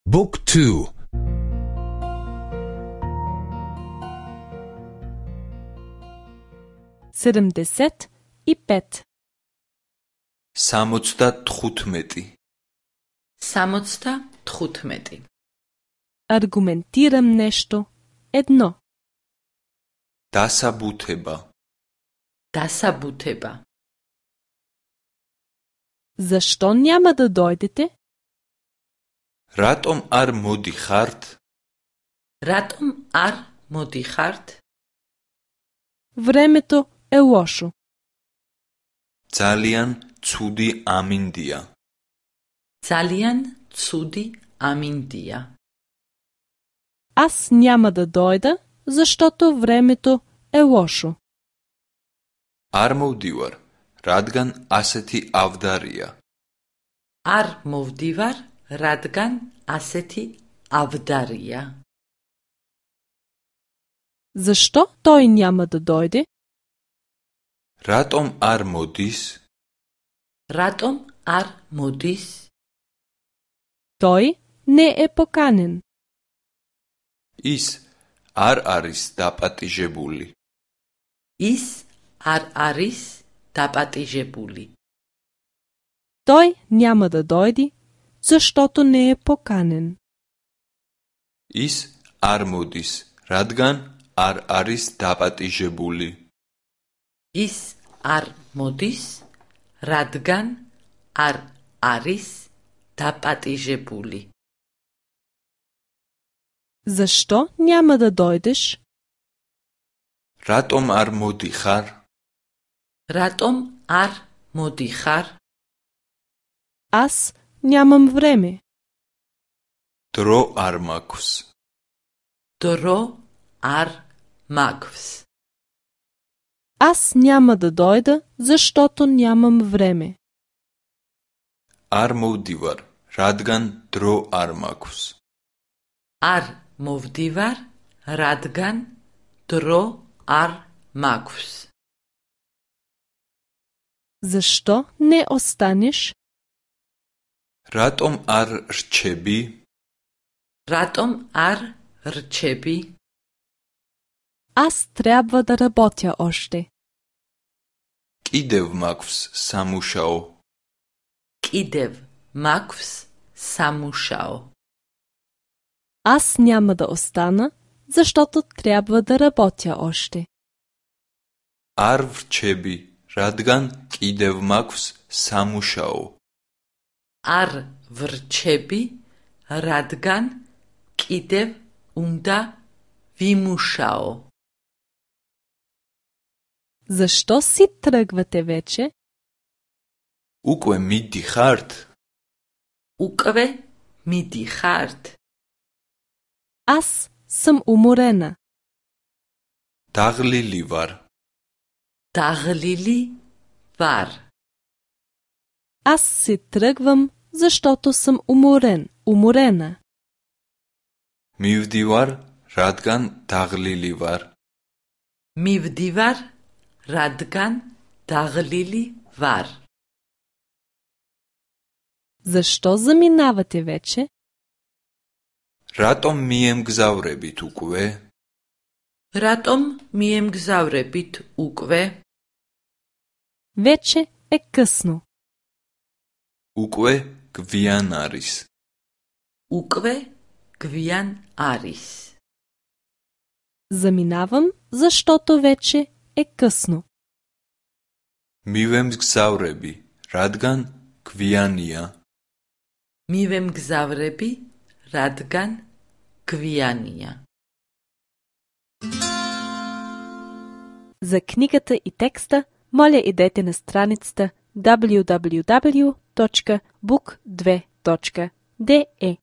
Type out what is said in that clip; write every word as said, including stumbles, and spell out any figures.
Book two. седемдесет и пет. სამოცდათხუთმეტი. სამოცდათხუთმეტი. Аргументирам нещо. Едно. დასაბუთება. დასაბუთება. Защо няма да дойдете? რატომ არ მოდიხართ? რატომ არ მოდიხართ? Времето е лошо. ძალიან ცუდი ამინდია. ძალიან ცუდი ამინდია. Аз няма да дойда, защото времето е лошо. არ მოვდივარ, რადგან ასეთი ავდარია. არ მოვდივარ, რადგან ასეთი ავდარია. Защо той няма да дойде? რატომ არ მოდის? რატომ არ მოდის? Той не е поканен. ის არ არის დაპატიჟებული. ის არ არის დაპატიჟებული. Той няма да дойде, защото не е поканен. ის არ მოდის, რადგან არ არის დაპატიჟებული. ის არ მოდის, რადგან არ არის დაპატიჟებული. Защо няма да дойдеш? რატომ არ მოდიხარ? რატომ არ მოდიხარ? Аз нямам време. დრო არ მაქვს. დრო არ მაქვს. Аз няма да дойда, защото нямам време. არ მოვდივარ, რადგან დრო არ მაქვს. არ მოვდივარ, რადგან დრო არ მაქვს. Защо не останеш? რატომ არ რჩები? რატომ არ რჩები? Аз трябва да работя още. კიდევ მაქვს სამუშაო. კიდევ მაქვს სამუშაო. Аз няма да остана, защото трябва да работя още. არ ვრჩები, რადგან კიდევ მაქვს სამუშაო. არ ვრჩები, რადგან კიდევ უნდა ვიმუშაო. Защо си тръгвате вече? უკვე მიდიხართ? უკვე მიდიხართ? Аз съм уморена. დაღლილი ვარ. დაღლილი ვარ. Аз си тръгвам, защото съм уморен, уморена. მივდივარ, რადგან დაღლილი ვარ. მივდივარ, რადგან დაღლილი ვარ. Защо заминавате вече? რატომ მიემგზავრებით უკვე? რატომ მიემგზავრებით უკვე? Вече е късно. უკვე გვიან არის. უკვე გვიან არის. Заминавам, защото вече е късно. მივემგზავრები, რადგან გვიანია. მივემგზავრები, რადგან გვიანია. За книгата и текста, моля идете на страницата даблю даблю даблю точка бук две точка де